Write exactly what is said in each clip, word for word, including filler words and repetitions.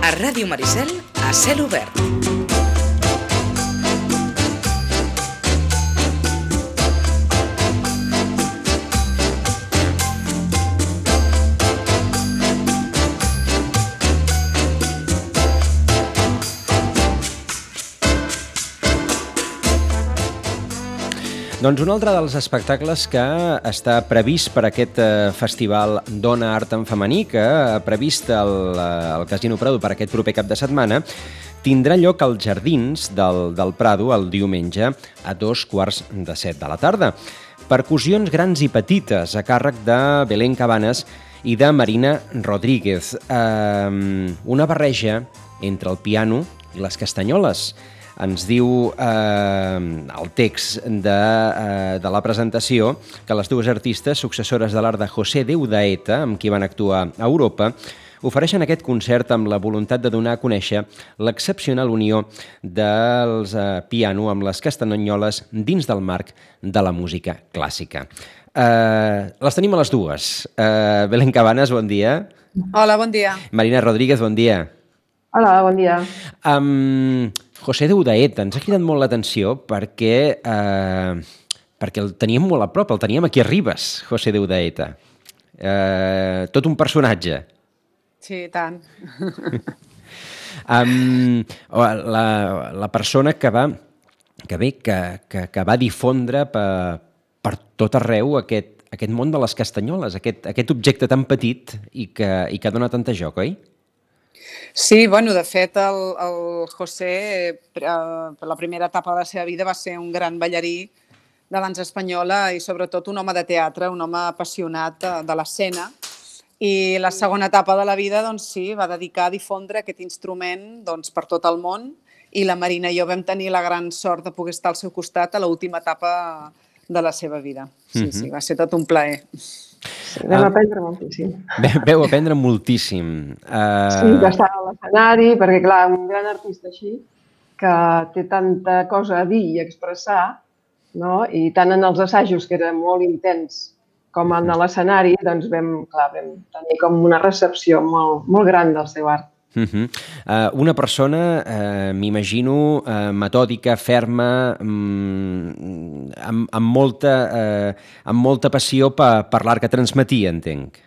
A Ràdio Maricel, a cel obert. Doncs un altre dels espectacles que està previst per aquest festival Dona Art en Femení, que ha previst el, el Casino Prado per aquest proper cap de setmana, tindrà lloc als Jardins del, del Prado el diumenge a dos quarts de set de la tarda. Percussions grans i petites a càrrec de Belén Cabanes i de Marina Rodríguez. Eh, una barreja entre el piano i les castanyoles. Ens diu eh, el text de, eh, de la presentació que les dues artistes successores de l'art de José de Udaeta, amb qui van actuar a Europa, ofereixen aquest concert amb la voluntat de donar a conèixer l'excepcional unió dels eh, piano amb les castanyoles dins del marc de la música clàssica. Eh, les tenim a les dues. Eh, Belén Cabanes, bon dia. Hola, bon dia. Marina Rodríguez, bon dia. Hola, bon dia. Um, José de Udaeta, ens ha cridat molt l'atenció perquè, eh, perquè el teníem molt a prop, el teníem aquí a Ribes, José de Udaeta. Eh, tot un personatge. Sí, tant. um, la, la persona que va, que bé, que, que, que va difondre per, per tot arreu aquest, aquest món de les castanyoles, aquest, aquest objecte tan petit i que, i que dona tanta joc, oi? Sí, bueno, de fet, el, el José, per la primera etapa de la seva vida, va ser un gran ballarí de dansa espanyola i sobretot un home de teatre, un home apassionat de, de l'escena. I la segona etapa de la vida, doncs sí, va dedicar a difondre aquest instrument doncs, per tot el món i la Marina i jo vam tenir la gran sort de poder estar al seu costat a l'última etapa de la seva vida. Sí, mm-hmm. sí, va ser tot un plaer. Sí, vam uh, aprendre moltíssim. Veu aprendre moltíssim. Uh... Sí, d'estar a l'escenari, perquè clar, un gran artista així, que té tanta cosa a dir i expressar, no? I tant en els assajos, que era molt intens, com en l'escenari, doncs vam, clar, vam tenir com una recepció molt, molt gran del seu art. Uh-huh. uh, una persona, uh, m'imagino, uh, metòdica, ferma, um, amb, amb, molta, uh, amb molta passió per, per l'art que transmetia, entenc.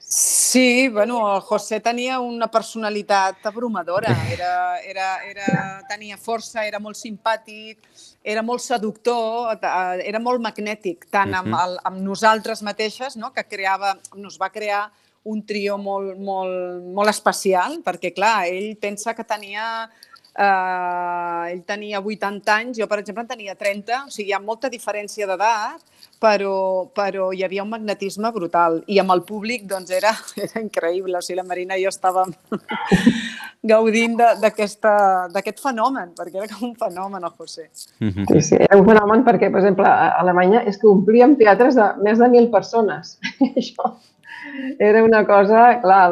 Sí, bueno, el José tenia una personalitat abrumadora, era, era, era, tenia força, era molt simpàtic, era molt seductor, era molt magnètic, tant amb, el, amb nosaltres mateixes, no? Que creava, nos va crear un trio molt, molt, molt especial, perquè, clar, ell pensa que tenia... Eh, ell tenia vuitanta anys, jo, per exemple, en tenia trenta, o sigui, hi ha molta diferència d'edat, però, però hi havia un magnetisme brutal. I amb el públic, doncs, era, era increïble. O sigui, la Marina i jo estàvem gaudint d'aquest fenomen, perquè era com un fenomen, el José. Sí, sí, era un fenomen perquè, per exemple, a Alemanya és que omplíem teatres de més de mil persones. Això era una cosa, clar,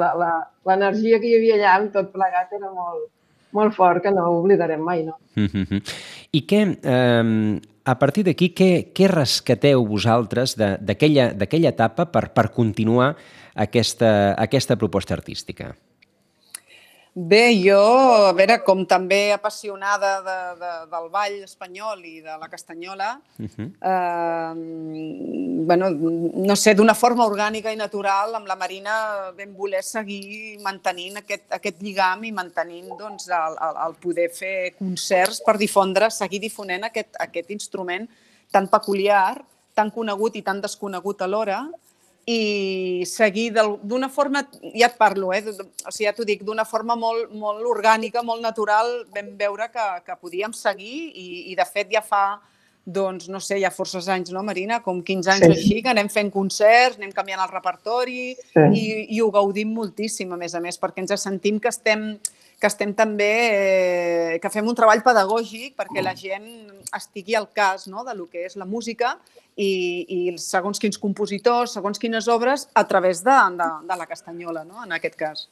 l'energia que hi havia allà amb tot plegat era molt, molt fort, que no ho oblidarem mai, no? Mm-hmm. I què, eh, a partir d'aquí, què, què rescateu vosaltres d'aquella etapa per, per continuar aquesta, aquesta proposta artística? Bé, jo, a veure, com també apassionada de, de, del ball espanyol i de la castanyola, uh-huh. eh, bueno, no sé, d'una forma orgànica i natural, amb la Marina vam voler seguir mantenint aquest, aquest lligam i mantenint doncs, el, el, el poder fer concerts per difondre, seguir difonent aquest, aquest instrument tan peculiar, tan conegut i tan desconegut alhora, i seguir d'una forma, ja et parlo, eh? O sigui, ja t'ho dic, d'una forma molt, molt orgànica, molt natural, vam veure que, que podíem seguir i, i de fet ja fa, doncs, no sé, ja forces anys, no, Marina? Com quinze anys sí. Així, que anem fent concerts, anem canviant el repertori sí. i, i ho gaudim moltíssim, a més a més, perquè ens sentim que estem, que estem també, eh, que fem un treball pedagògic perquè la gent estigui al cas, no?, de lo que és la música i, i segons quins compositors, segons quines obres, a través de, de, de la castanyola, no?, en aquest cas.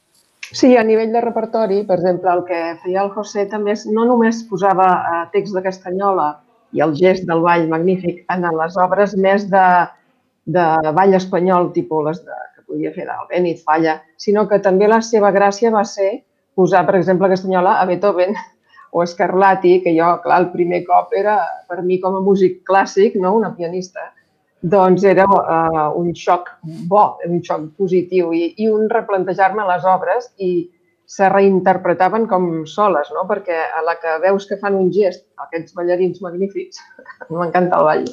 Sí, a nivell de repertori, per exemple, el que feia el José també és, no només posava eh, text de castanyola i el gest del ball magnífic en les obres més de, de ball espanyol, tipus les de, que podia fer d'Albéniz, Falla, sinó que també la seva gràcia va ser posar, per exemple, a Castanyola, a Beethoven o a Scarlatti, que jo, clar, el primer cop era, per mi com a músic clàssic, no, una pianista, doncs era uh, un xoc bo, un xoc positiu i, i un replantejar-me les obres i se reinterpretaven com soles, no? Perquè a la que veus que fan un gest, aquests ballarins magnífics, m'encanta el ball,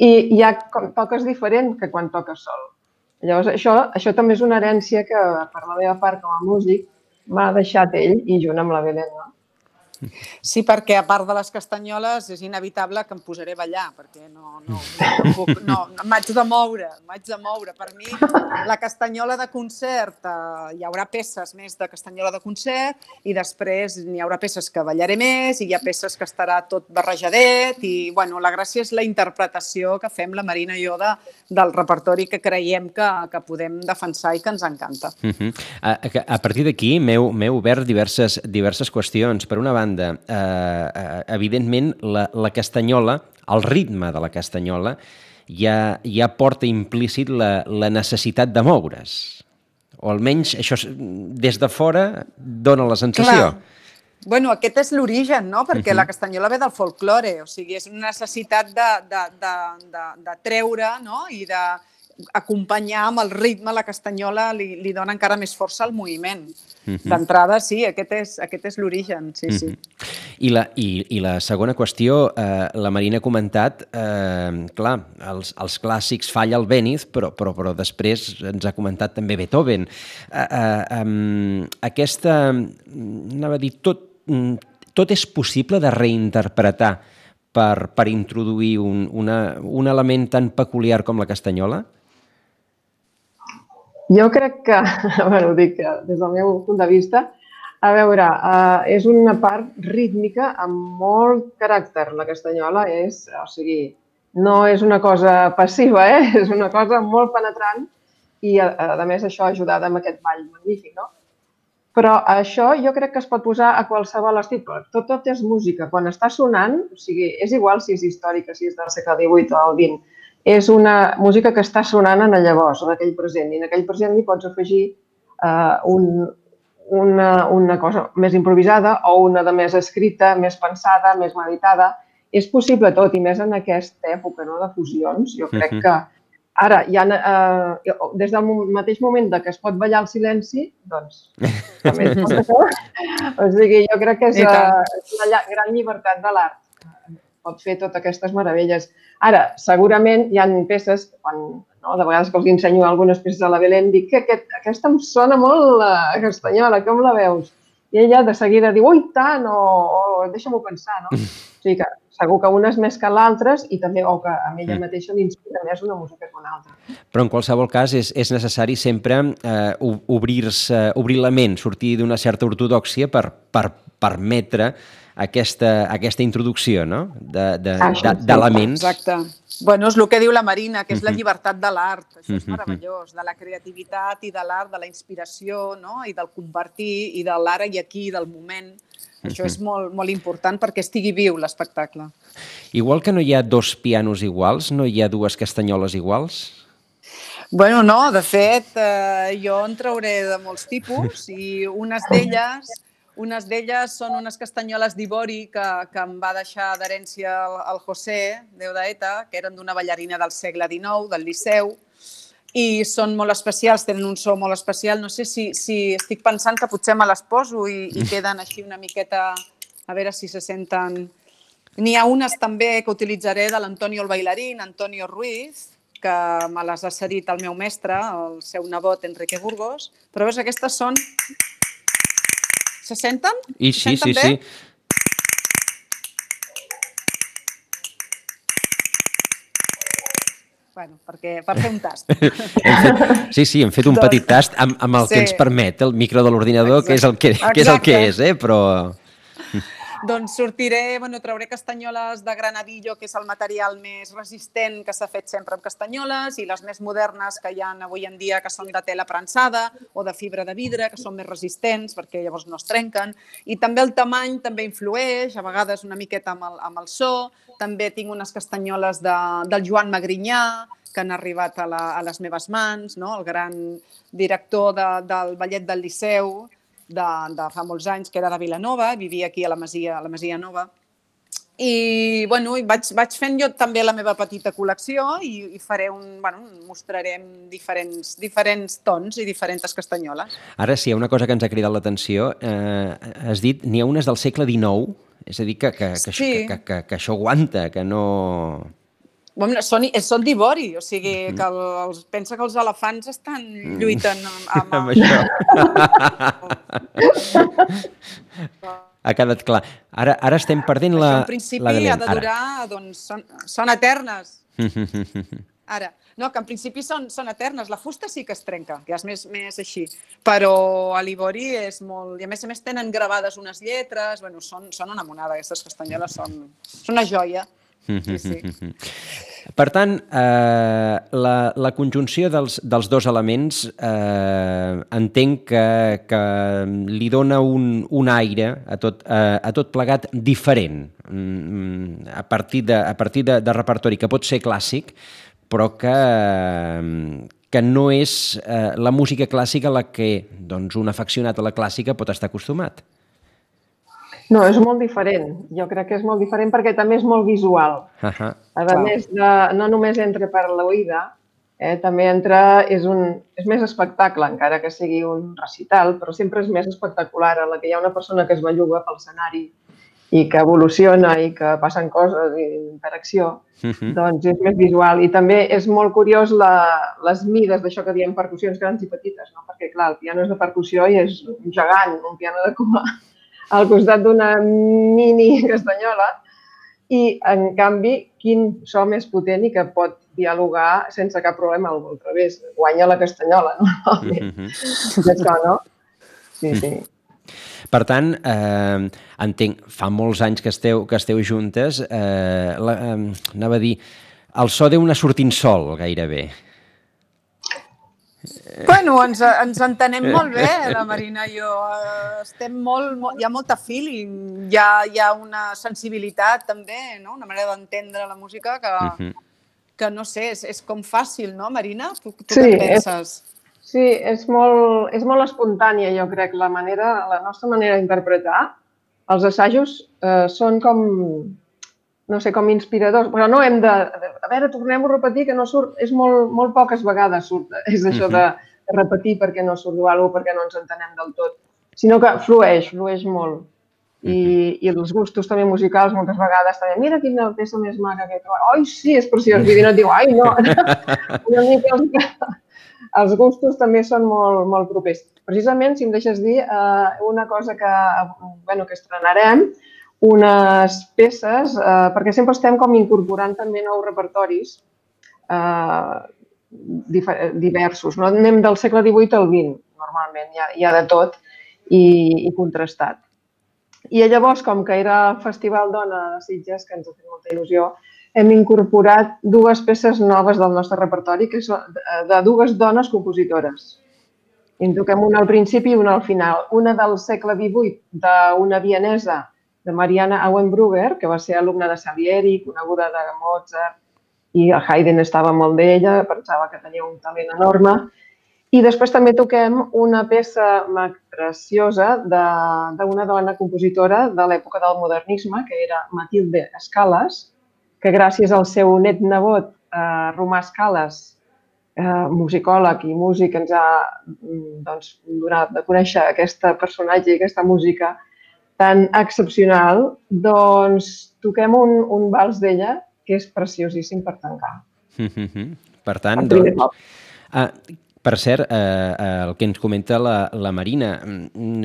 i ja toques diferent que quan toques sol. Llavors, això, això també és una herència que, per la meva part com a músic, m'ha deixat ell i junt amb la Belén, no? Sí, perquè a part de les castanyoles és inevitable que em posaré a ballar, perquè no, no, no puc, no, m'haig de moure, m'haig de moure. Per mi, la castanyola de concert, eh, hi haurà peces més de castanyola de concert i després n'hi haurà peces que ballaré més i hi ha peces que estarà tot barrejadet i, bueno, la gràcia és la interpretació que fem la Marina i jo de, del repertori que creiem que, que podem defensar i que ens encanta. Uh-huh. a, a partir d'aquí m'heu obert diverses, diverses qüestions. Per una banda, Eh, evidentment, la, la castanyola, el ritme de la castanyola, ja, ja porta implícit la, la necessitat de moure's. O almenys això des de fora dona la sensació. Clar. Bueno, aquest és l'origen, no? Perquè uh-huh. la castanyola ve del folklore, o sigui, és una necessitat de, de, de, de, de treure, no? I de acompanyar amb el ritme, la castanyola li, li dona encara més força al moviment. Uh-huh. D'entrada, sí, aquest és, aquest és l'origen, sí, uh-huh. sí. I la, i, I la segona qüestió, eh, la Marina ha comentat, eh, clar, els, els clàssics Falla, Albéniz, però, però, però després ens ha comentat també Beethoven. Eh, eh, um, aquesta, anava a dir, tot, tot és possible de reinterpretar per, per introduir un, una, un element tan peculiar com la castanyola? Jo crec que, bueno, ho dic des del meu punt de vista, a veure, uh, és una part rítmica amb molt caràcter. La castanyola és, o sigui, no és una cosa passiva, eh? És una cosa molt penetrant i, a, a més, això ajudada amb aquest ball magnífic, no? Però això jo crec que es pot posar a qualsevol estil. Tot, tot és música. Quan està sonant, o sigui, és igual si és històrica, si és del segle divuit o el vint, és una música que està sonant en el llavors, en aquell present. I en aquell present li pots afegir uh, un, una, una cosa més improvisada o una de més escrita, més pensada, més meditada. És possible tot, i més en aquesta època, no?, de fusions. Jo crec que ara, ja, uh, des del mateix moment que es pot ballar el silenci, doncs també es pot això. O sigui, jo crec que és uh, una gran llibertat de l'art. Pot fer totes aquestes meravelles. Ara, segurament hi ha peces, quan, no, de vegades que els ensenyo algunes peces a la Belén, dic que aquest, aquesta em sona molt la castanyola, com la veus? I ella de seguida diu, ui, tant, o, o deixa-m'ho pensar, no? O sigui que segur que una és més que l'altra i també, o que a ella mateixa l'inspira més una música que una altra. Però en qualsevol cas és, és necessari sempre eh, obrir-se, obrir la ment, sortir d'una certa ortodòxia per, per permetre aquesta, aquesta introducció, no?, d'elements. Exacte. Bueno, és el que diu la Marina, que és la llibertat de l'art. Això és meravellós, de la creativitat i de l'art, de la inspiració, no?, i del compartir, i de l'ara i aquí, del moment. Això és molt, molt important perquè estigui viu l'espectacle. Igual que no hi ha dos pianos iguals, no hi ha dues castanyoles iguals? Bueno, no, de fet, eh, jo en trauré de molts tipus i unes d'elles... Unes d'elles són unes castanyoles d'ivori que, que em va deixar d'herència el, el José, Déu d'Eta, que eren d'una ballarina del segle dinou, del Liceu, i són molt especials, tenen un so molt especial. No sé si, si estic pensant que potser me les poso i, i queden així una miqueta, a veure si se senten... N'hi ha unes també que utilitzaré de l'Antonio el bailarín, Antonio Ruiz, que me les ha cedit el meu mestre, el seu nebot Enrique Burgos, però veus, aquestes són... Se senten? I sí, sí, sí. Bueno, perquè, per fer un tast. Fet, sí, sí, hem fet un petit tast amb, amb el sí. que ens permet el micro de l'ordinador, que és el que, que és el que és, eh? Però... Doncs sortiré, bueno, trauré castanyoles de granadillo, que és el material més resistent que s'ha fet sempre amb castanyoles, i les més modernes que hi ha avui en dia, que són de tela prensada o de fibra de vidre, que són més resistents perquè llavors no es trenquen. I també el tamany també influeix, a vegades una miqueta amb el, amb el so. També tinc unes castanyoles de, del Joan Magrinyà, que han arribat a, la, a les meves mans, no? El gran director de, del Ballet del Liceu de, de fa molts anys, que era de Vilanova, vivia aquí a la Masia, a la Masia Nova. I, bueno, i vaig, vaig fent jo també la meva petita col·lecció i, i faré un, bueno, mostrarem diferents, diferents tons i diferents castanyoles. Ara, si hi ha una cosa que ens ha cridat l'atenció, eh, has dit, n'hi ha unes del segle dinou, és a dir, que, que, que, Sí. que, que, que això aguanta, que no... Bueno, són, són d'ivori, o sigui, que el, els, pensa que els elefants estan lluitant amb... amb això. Ha quedat clar. Ara, ara estem perdent la... Això, en principi, ha de durar... Doncs, són, són eternes. Ara. No, que en principi són, són eternes. La fusta sí que es trenca, que és més, més així. Però a l'ivori és molt... I a més a més tenen gravades unes lletres. Bueno, són, són una monada, aquestes castanyoles són, són una joia. Sí, sí. Per tant, eh, la, la conjunció dels, dels dos elements eh, entenc que, que li dona un, un aire a tot, a, a tot plegat diferent, a partir, de, a partir de, de repertori que pot ser clàssic, però que, que no és eh, la música clàssica a la que doncs, un afeccionat a la clàssica pot estar acostumat. No, és molt diferent. Jo crec que és molt diferent perquè també és molt visual. Uh -huh. A més, de, no només entra per l'oïda, eh, també entra, és, un, és més espectacle, encara que sigui un recital, però sempre és més espectacular, a la que hi ha una persona que es belluga pel escenari i que evoluciona i que passen coses i interacció, uh -huh. doncs és més visual. I també és molt curiós la, les mides d'això que diem percussions grans i petites, no? Perquè, clar, el piano és de percussió i és un gegant, un piano de cua, al costat d'una mini castanyola i, en canvi, quin so més potent i que pot dialogar sense cap problema al revés. Guanya la castanyola, normalment. Mm-hmm. Això, no? Sí, sí. Per tant, eh, entenc, fa molts anys que esteu, que esteu juntes, eh, la, eh, anava a dir, el so deu anar sortint sol, gairebé. Bueno, ens, ens entenem molt bé, la Marina i jo. Estem molt, molt, hi ha molta feeling, hi ha, hi ha una sensibilitat també, no? Una manera d'entendre la música que, uh-huh. que no sé, és, és com fàcil, no, Marina? Tu, tu sí, què penses? És, sí, és molt, és molt espontània, jo crec, la manera, la nostra manera d'interpretar. Els assajos eh, són com, no sé, com inspiradors, però no hem de... A veure, tornem-ho a repetir, que no surt... És molt, molt poques vegades surt, és això de repetir perquè no surt alguna cosa, perquè no ens entenem del tot, sinó que flueix, flueix molt. I, i els gustos també musicals, moltes vegades també, mira quina peça més maca que he trobat. Ai, sí, és preciós. I no et diu, ai, no. Una mica els, els gustos també són molt, molt propers. Precisament, si em deixes dir, una cosa que, bueno, que estrenarem, unes peces, eh, perquè sempre estem com incorporant també nous repertoris eh, diversos. No? Anem del segle divuit al vint, normalment, hi ha, hi ha de tot i, i contrastat. I llavors, com que era el Festival Dona de Sitges, que ens ha fet molta il·lusió, hem incorporat dues peces noves del nostre repertori, que són de dues dones compositores. I en toquem una al principi i una al final. Una del segle divuit, d'una vienesa, de Mariana Auenbrugger, que va ser alumna de Salieri, coneguda de Mozart, i el Haydn estava molt d'ella, pensava que tenia un talent enorme. I després també toquem una peça preciosa d'una dona compositora de l'època del modernisme, que era Matilde Escales, que gràcies al seu net-nebot, eh, Romà Escales, eh, musicòleg i músic, ens ha doncs, donat de conèixer aquesta personatge i aquesta música tan excepcional, doncs toquem un, un vals d'ella que és preciosíssim per tancar. Mm-hmm. Per tant, doncs... Ah, per cert, eh, el que ens comenta la, la Marina,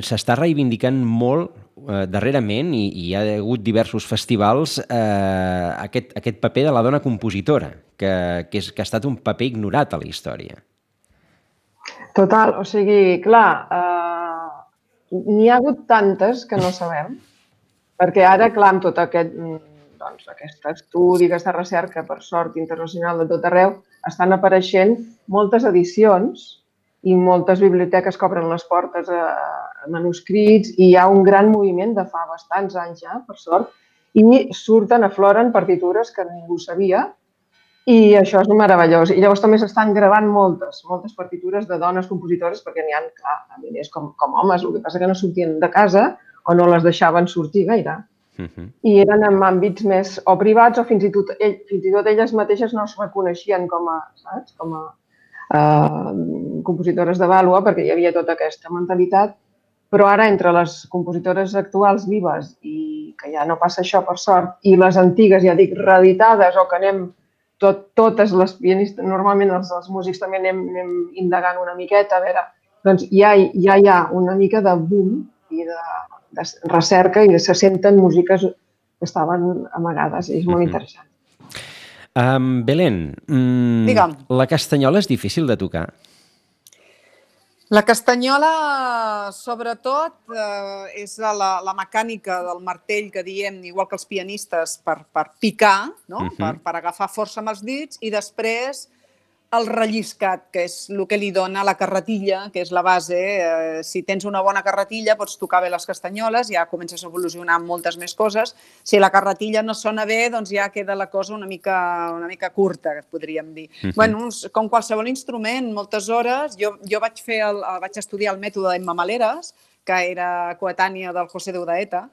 s'està reivindicant molt eh, darrerament i, i hi ha hagut diversos festivals eh, aquest, aquest paper de la dona compositora, que, que, és, que ha estat un paper ignorat a la història. Total, o sigui, clar, eh, n'hi ha hagut tantes que no sabem, perquè ara, clar, amb tot aquest, doncs, aquest estudi, aquesta recerca, per sort internacional de tot arreu, estan apareixent moltes edicions i moltes biblioteques que obren les portes a manuscrits i hi ha un gran moviment de fa bastants anys ja, per sort, i surten, afloren partitures que ningú sabia I això és meravellós. I llavors també s'estan gravant moltes, moltes partitures de dones compositores, perquè n'hi ha, clar, milers com, com homes, el que passa que no sortien de casa o no les deixaven sortir gaire. Uh-huh. I eren en àmbits més o privats o fins i tot, ell, fins i tot elles mateixes no es reconeixien com a, saps? Com a uh, compositores de vàlua, perquè hi havia tota aquesta mentalitat. Però ara, entre les compositores actuals vives, i que ja no passa això per sort, i les antigues, ja dic, reeditades, o que anem tot, totes les pianistes, normalment els, els músics també anem, anem indagant una miqueta, a veure, doncs ja, ja hi ha una mica de boom i de, de recerca i se senten músiques que estaven amagades, i és molt interessant. Um, Belén, mm, la castanyola és difícil de tocar? La castanyola, sobretot, eh, és la, la mecànica del martell que diem, igual que els pianistes, per, per picar, no? uh-huh. per, per agafar força amb els dits, i després el relliscat, que és el que li dona la carretilla, que és la base. Eh, si tens una bona carretilla, pots tocar bé les castanyoles, ja comences a evolucionar amb moltes més coses. Si la carretilla no sona bé, doncs ja queda la cosa una mica, una mica curta, podríem dir. Uh-huh. Bueno, com qualsevol instrument, moltes hores. Jo, jo vaig, fer el, vaig estudiar el mètode d'Emma Maleres, que era coetània del José de Udaeta,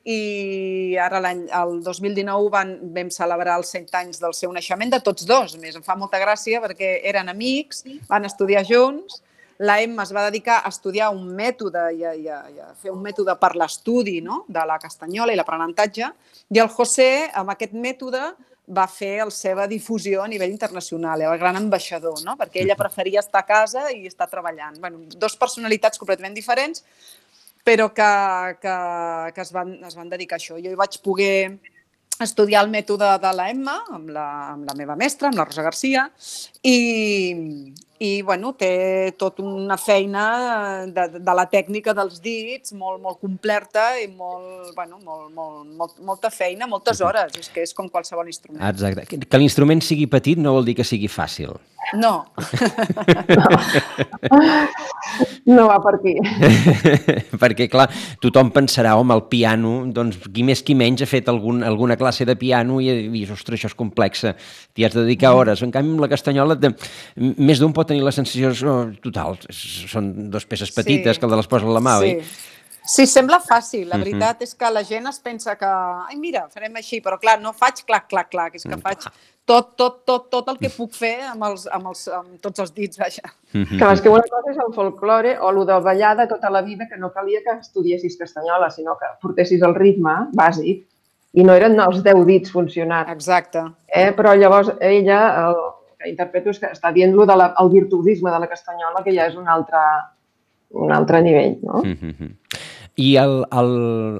i ara l'any, el dos mil dinou van, vam celebrar els cent anys del seu naixement, de tots dos. A més, em fa molta gràcia perquè eren amics, van estudiar junts. La Emma es va dedicar a estudiar un mètode i a, i a, i a fer un mètode per l'estudi, no?, de la castanyola i l'aprenentatge, i el José, amb aquest mètode, va fer la seva difusió a nivell internacional, el gran ambaixador, no?, perquè ella preferia estar a casa i estar treballant. Bueno, dos personalitats completament diferents, però que, que, que es, van, es van dedicar a això. Jo hi vaig poder estudiar el mètode de la Emma amb la, amb la meva mestra, amb la Rosa Garcia, i, i bueno, té tota una feina de, de la tècnica dels dits molt, molt completa i molt, bueno, molt, molt, molt, molta feina, moltes hores. És que és com qualsevol instrument. Exacte. Que l'instrument sigui petit no vol dir que sigui fàcil. No. No va per aquí. Perquè, clar, tothom pensarà, home, el piano, doncs qui més qui menys ha fet algun, alguna classe de piano i, i ostres, això és complex, t'hi has de dedicar hores. En canvi, amb la castanyola, de, més d'un pot tenir la sensació, oh, total, són dues peces petites sí. que les posa a la mà, sí. oi? Sí, sembla fàcil. La veritat uh-huh. és que la gent es pensa que, ai, mira, farem així, però clar, no faig clac, clac, clac, és que faig tot, tot, tot, tot el que puc fer amb, els, amb, els, amb tots els dits, vaja. Uh-huh. Clar, és que una cosa és el folklore o el de ballada tota la vida, que no calia que estudiessis castanyola, sinó que portessis el ritme bàsic i no eren els deu dits funcionant. Exacte. Eh? Però llavors ella, el que interpreto és que està dient-lo del virtuosisme de la castanyola, que ja és un altre, un altre nivell, no? Uh-huh. I el, el,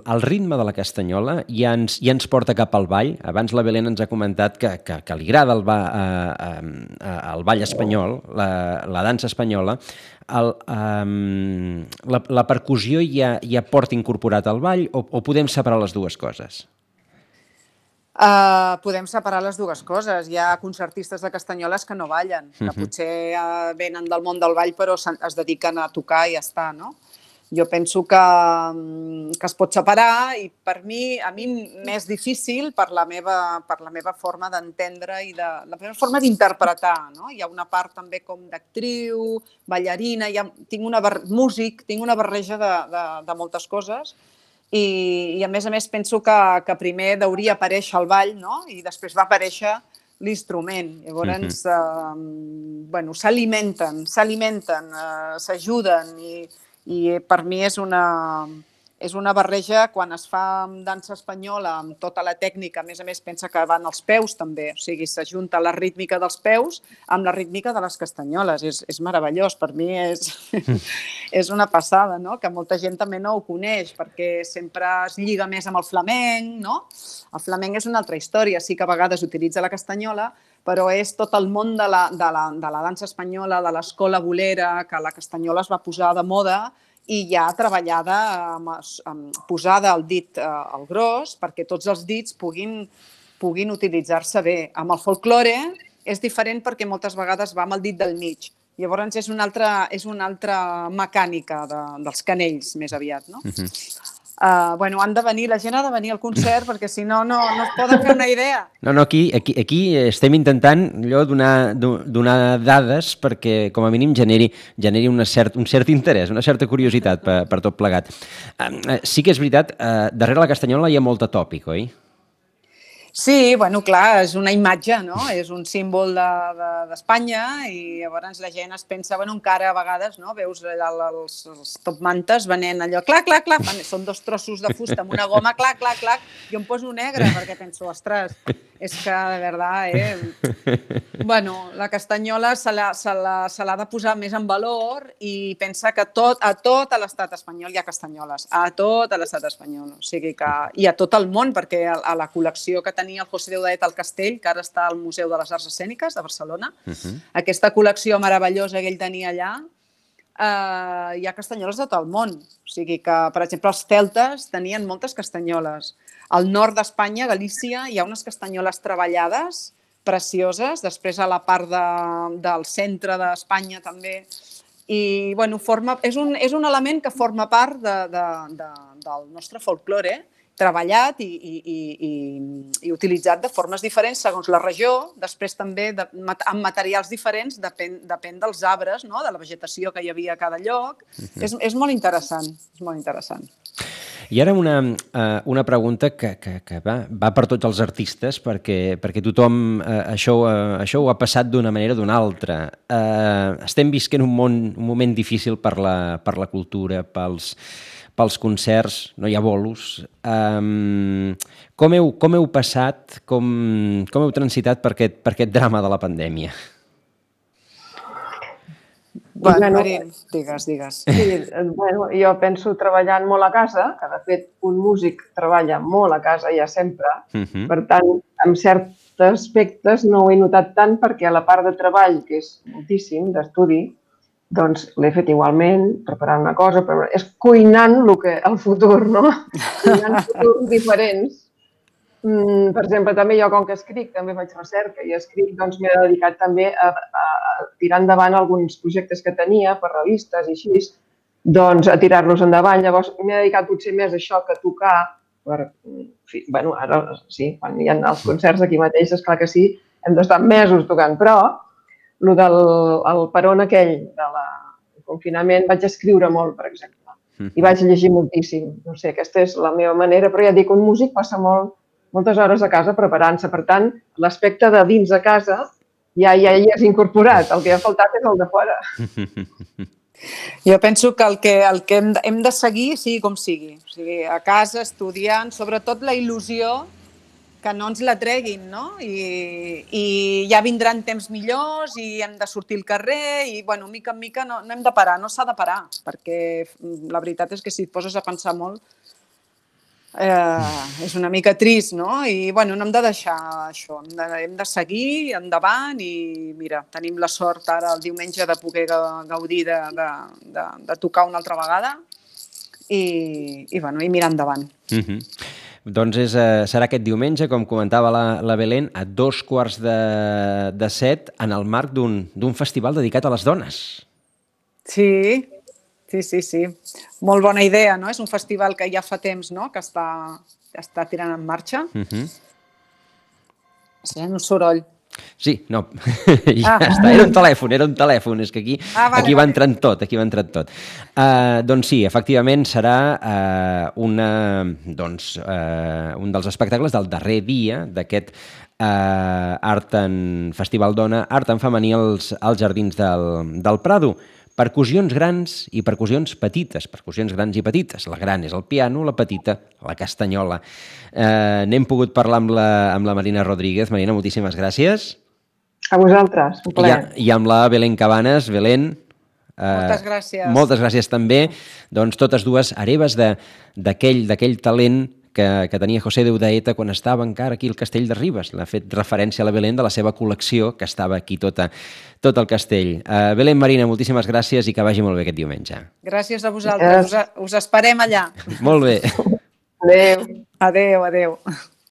el ritme de la castanyola ja ens, ja ens porta cap al ball. Abans la Belén ens ha comentat que, que, que li agrada el, ba, eh, eh, el ball espanyol, la, la dansa espanyola. El, eh, la, la percussió ja, ja porta incorporat al ball o, o podem separar les dues coses? Uh, podem separar les dues coses. Hi ha concertistes de castanyoles que no ballen, que uh-huh. potser uh, venen del món del ball però es dediquen a tocar i ja està, no? Jo penso que, que es pot separar i per mi, a mi m'és difícil per la meva, per la meva forma d'entendre i de, la meva forma d'interpretar, no? Hi ha una part també com d'actriu, ballarina, ha, tinc una bar, músic, tinc una barreja de, de, de moltes coses i, i a més a més penso que, que primer hauria aparèixer el ball, no? I després va aparèixer l'instrument. Llavors, uh-huh. eh, bueno, s'alimenten, s'alimenten, eh, s'ajuden i I per mi és una, és una barreja quan es fa amb dansa espanyola, amb tota la tècnica, a més a més pensa que van els peus també, o sigui, s'ajunta la rítmica dels peus amb la rítmica de les castanyoles. És, és meravellós, per mi és, és una passada, no? Que molta gent també no ho coneix, perquè sempre es lliga més amb el flamenc, no? El flamenc és una altra història, sí que a vegades utilitza la castanyola, però és tot el món de la, de la, de la dansa espanyola, de l'escola bolera, que la castanyola es va posar de moda i ja treballada, amb, amb, posada el dit eh, al gros, perquè tots els dits puguin, puguin utilitzar-se bé. Amb el folklore és diferent perquè moltes vegades va amb el dit del mig. Llavors és una altra, és una altra mecànica de, dels canells, més aviat, no? Uh-huh. Uh, bueno, han de venir, la gent ha de venir al concert perquè si no, no, no es poden fer una idea. No, no, aquí, aquí, aquí estem intentant allò donar, donar dades perquè com a mínim generi, generi una cert, un cert interès, una certa curiositat per, per tot plegat. Uh, sí que és veritat, uh, darrere la castanyola hi ha molt de tòpic, oi? Sí, bueno, clar, és una imatge, no? És un símbol d'Espanya de, de, i llavors la gent es pensa, bueno, encara a vegades, no? Veus allà els, els top mantes venent allò, clac, clac, clac, són dos trossos de fusta amb una goma, clac, clac, clac, jo em poso negre perquè penso, ostres, és que de veritat, eh? Bueno, la castanyola se l'ha se l'ha se l'ha de posar més en valor i pensa que tot, a tot l'estat espanyol hi ha castanyoles, a tot l'estat espanyol, o sigui que, i a tot el món, perquè a, a la col·lecció que tenia el José Deudaet al Castell, que ara està al Museu de les Arts Escèniques de Barcelona, uh-huh. Aquesta col·lecció meravellosa que ell tenia allà, eh, hi ha castanyoles de tot el món. O sigui que, per exemple, els celtes tenien moltes castanyoles. Al nord d'Espanya, a Galícia, hi ha unes castanyoles treballades, precioses, després a la part de, del centre d'Espanya també. I, bueno, forma, és, un, és un element que forma part de, de, de, del nostre folklore, treballat i, i, i, i utilitzat de formes diferents segons la regió, després també de, amb materials diferents, depèn, depèn dels arbres, no? De la vegetació que hi havia a cada lloc. Uh-huh. És, és molt interessant, és molt interessant. I ara una, una pregunta que, que, que va, va per tots els artistes, perquè, perquè tothom eh, això, eh, això ho ha passat d'una manera o d'una altra. Eh, estem visquent un, món, un moment difícil per la, per la cultura, pels... pels concerts, no hi ha bolos. Um, com, heu, com heu passat, com, com heu transitat per aquest, per aquest drama de la pandèmia? Bueno, Marín, digues, digues. Sí, bueno, jo penso treballant molt a casa, que de fet un músic treballa molt a casa ja sempre, uh-huh. Per tant, en certs aspectes no ho he notat tant perquè a la part de treball, que és moltíssim, d'estudi, doncs l'he fet igualment, preparant una cosa, però és cuinant el, que, el futur, no? Cuinant futurs diferents. Mm, per exemple, també jo, com que escric, també faig recerca i escric, doncs m'he dedicat també a, a, a tirar endavant alguns projectes que tenia per revistes i així, doncs a tirar-los endavant. Llavors m'he dedicat potser més a això que a tocar, per, fi, bueno, ara sí, quan hi ha els concerts aquí mateix, és clar que sí, hem d'estar mesos tocant, però el del el peron aquell del confinament vaig escriure molt, per exemple, i vaig llegir moltíssim. No sé, aquesta és la meva manera, però ja dic, un músic passa molt, moltes hores a casa preparant-se. Per tant, l'aspecte de dins de casa ja, ja hi has incorporat. El que ha faltat és el de fora. Jo penso que el que, el que hem, de, hem de seguir sigui com sigui. O sigui, a casa, estudiant, sobretot la il·lusió, que no ens la treguin, no? I, i ja vindran temps millors i hem de sortir al carrer i, bueno, mica en mica no, no hem de parar, no s'ha de parar, perquè la veritat és que si et poses a pensar molt eh, és una mica trist, no? I, bueno, no hem de deixar això, hem de, hem de seguir endavant i, mira, tenim la sort ara el diumenge de poder gaudir de, de, de, de tocar una altra vegada i, i, bueno, i mirar endavant. Mhm. Doncs és, eh, serà aquest diumenge, com comentava la, la Belén, a dos quarts de, de set, en el marc d'un festival dedicat a les dones. Sí, sí, sí, sí. Molt bona idea, no? És un festival que ja fa temps, no?, que està, està tirant en marxa. Uh-huh. Sent un soroll. Sí, no, ja ah. està, era un telèfon, era un telèfon, és que aquí, ah, vale, aquí va vale. entrant tot, aquí va entrant tot. Uh, doncs sí, efectivament serà uh, una, doncs, uh, un dels espectacles del darrer dia d'aquest uh, Art en Festival Dona, Art en Femení als, als Jardins del, del Prado. Percussions grans i percussions petites, percussions grans i petites. La gran és el piano, la petita, la castanyola. Eh, n'hem pogut parlar amb la, amb la Marina Rodríguez. Marina, moltíssimes gràcies. A vosaltres, un plaer. I, i amb la Belén Cabanes. Belén, eh, moltes gràcies. Moltes gràcies també. Doncs totes dues hereves d'aquell d'aquell talent que, que tenia José Deudaeta quan estava encara aquí al Castell de Ribes. L'ha fet referència a la Belén de la seva col·lecció, que estava aquí tota, tot el castell. Uh, Belén, Marina, moltíssimes gràcies i que vagi molt bé aquest diumenge. Gràcies a vosaltres. Us, us esperem allà. Molt bé. Adéu. Adéu, adéu.